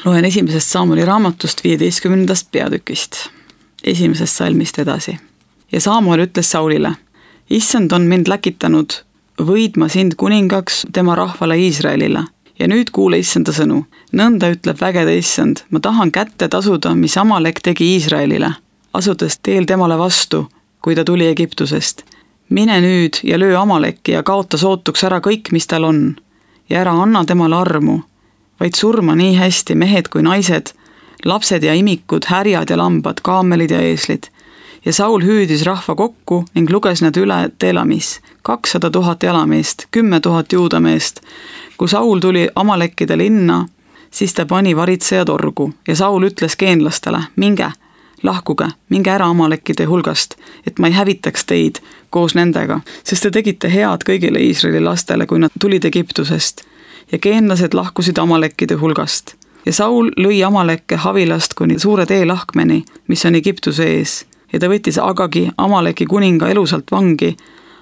Loen 1. Saamuli raamatust 15. peatükist, 1. salmist edasi. Ja Saamuel ütles Saulile, Issand on mind läkitanud võidma sind kuningaks tema rahvale Iisraelile. Ja nüüd kuule Issanda sõnu. Nõnda ütleb vägede Issand, ma tahan kätte tasuda, mis Amalek tegi Iisraelile, asudes teel temale vastu, kui ta tuli Egiptusest. Mine nüüd ja löö Amaleki ja kaota sootuks ära kõik, mis tal on. Ja ära anna temale armu, vaid surma nii hästi mehed kui naised, lapsed ja imikud, härjad ja lambad, kaamelid ja eeslid. Ja Saul hüüdis rahva kokku ning luges nad üle Telamis, 200 000 jalameest, 10 000 juudameest. Kui Saul tuli Amalekkide linna, siis ta pani varitsejad orgu ja Saul ütles geenlastele, minge, lahkuge, minge ära Amalekkide hulgast, et ma ei hävitaks teid koos nendega, sest te tegite head kõigile Iisraeli lastele, kui nad tulid Egiptusest. Ja geenlased lahkusid Amalekkide hulgast. Ja Saul lõi Amalekke Havilast kuni suure tee lahkmeni, mis on Egiptuse ees. Ja ta võttis Agagi, Amaleki kuninga elusalt vangi,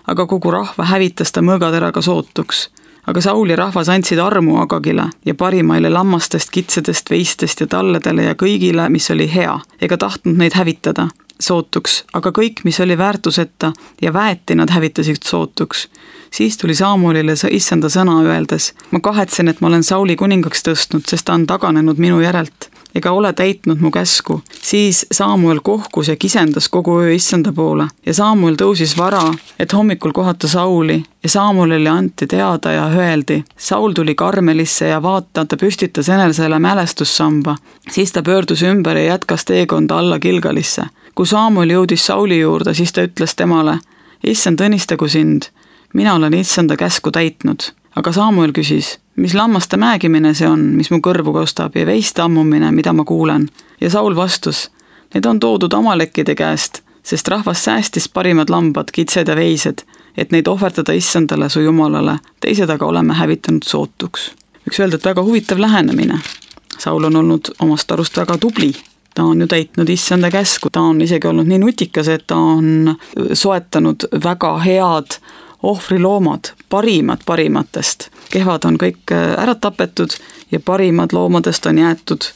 aga kogu rahva hävitas ta mõõgateraga sootuks. Aga Saul ja rahvas andsid armu Agagile ja parimaile lammastest, kitsedest, veistest ja talledele ja kõigile, mis oli hea, ega tahtnud neid hävitada sootuks, aga kõik, mis oli väärtuseta ja väeti nad hävitasid sootuks. Siis tuli Saamuelile Issanda sõna öeldes, ma kahetsen, et ma olen Sauli kuningaks tõstnud, sest ta on taganenud minu järelt, ega ole täitnud mu käsku. Siis Saamuel kohkus ja kisendas kogu öö Issanda poole ja Saamuel tõusis vara, et hommikul kohata Sauli ja Saamuelile anti teada ja öeldi, Saul tuli Karmelisse ja vaata, ta püstitas enesele mälestussamba. Siis ta pöördus ümber ja jätkas teekonda alla Gilgalisse. Kui Saamuel jõudis Sauli juurde, siis ta ütles temale, Issand õnnistagu sind, mina olen Issanda käsku täitnud. Aga Saamuel küsis, mis lammaste määgimine see on, mis mu kõrvu kostab ja veiste ammumine, mida ma kuulen. Ja Saul vastus, need on toodud Amalekkide käest, sest rahvas säästis parimad lambad, kitsed ja veised, et neid ohverdada Issandale su Jumalale, teised aga oleme hävitanud sootuks. Võiks öelda, et väga huvitav lähenemine. Saul on olnud omast arust väga tubli. Ta on ju täitnud Issanda käsku, ta on isegi olnud nii nutikas, et ta on soetanud väga head ohvriloomad, parimad parimatest. Kehvad on kõik ära tapetud ja parimad loomadest on jäetud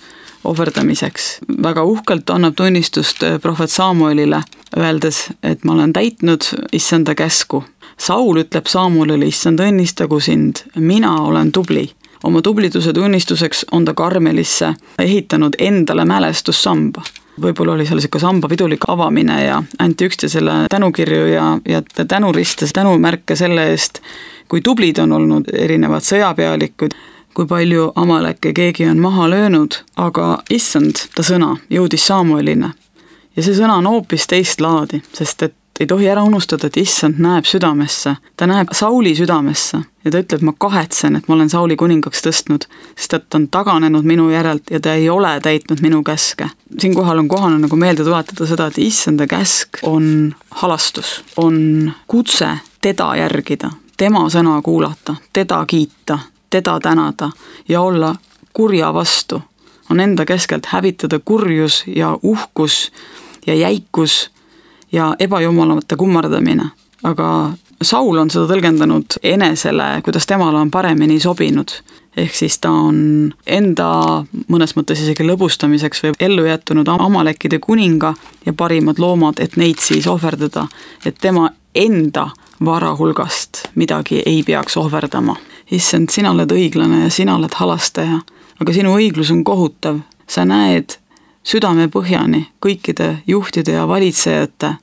ohverdamiseks. Väga uhkelt annab tunnistust prohvet Saamuelile, öeldes, et ma olen täitnud Issanda käsku. Saul ütleb Saamuelile, Issand õnnistagu sind, mina olen tubli. Oma tubliduse tunnistuseks on ta Karmelisse ehitanud endale mälestussamba. Võib-olla oli seal siuke samba pidulik avamine ja anti üksteisele tänukirju ja tänuriste, tänumärke selle eest, kui tublid on olnud erinevad sõjapealikud, kui palju Amalekke keegi on maha löönud, aga Issand, ta sõna, jõudis Saamueline. Ja see sõna on hoopis teist laadi, sest et ei tohi ära unustada, et Issand näeb südamesse, ta näeb Sauli südamesse ja ta ütleb, ma kahetsen, et ma olen Sauli kuningaks tõstnud, sest et ta on taganenud minu järelt ja ta ei ole täitnud minu käske. Siinkohal on kohane nagu meelde tuletada seda, et Issanda käsk on halastus, on kutse teda järgida, tema sõna kuulata, teda kiita, teda tänada ja olla kurja vastu. On enda keskelt hävitada kurjus ja uhkus ja jäikus ja ebajumalamate kummardamine. Aga Saul on seda tõlgendanud enesele, kuidas temale on paremini sobinud. Ehk siis ta on enda mõnes mõttes isegi lõbustamiseks või ellu jättunud Amalekkide kuninga ja parimad loomad, et neid siis ohverdada, et tema enda vara hulgast midagi ei peaks ohverdama. Issand, sina oled õiglane ja sina oled halastaja, aga sinu õiglus on kohutav. Sa näed südame põhjani kõikide juhtide ja valitsejate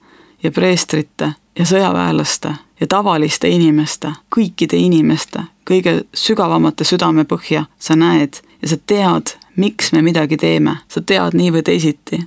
ja preestrite ja sõjaväelaste ja tavaliste inimeste, kõikide inimeste, kõige sügavamate südame põhja sa näed ja sa tead, miks me midagi teeme. Sa tead nii või teisiti,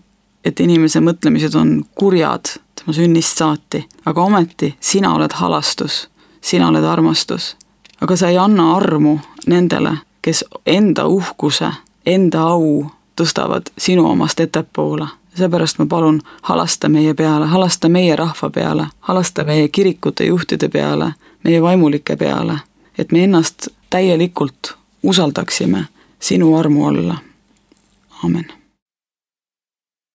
et inimese mõtlemised on kurjad tema sünnist saati, aga ometi sina oled halastus, sina oled armastus. Aga sa ei anna armu nendele, kes enda uhkuse, enda au tõstavad sinu omast ettepoole. Seepärast ma palun, halasta meie peale, halasta meie rahva peale, halasta meie kirikute juhtide peale, meie vaimulike peale, et me ennast täielikult usaldaksime sinu armu alla. Amen.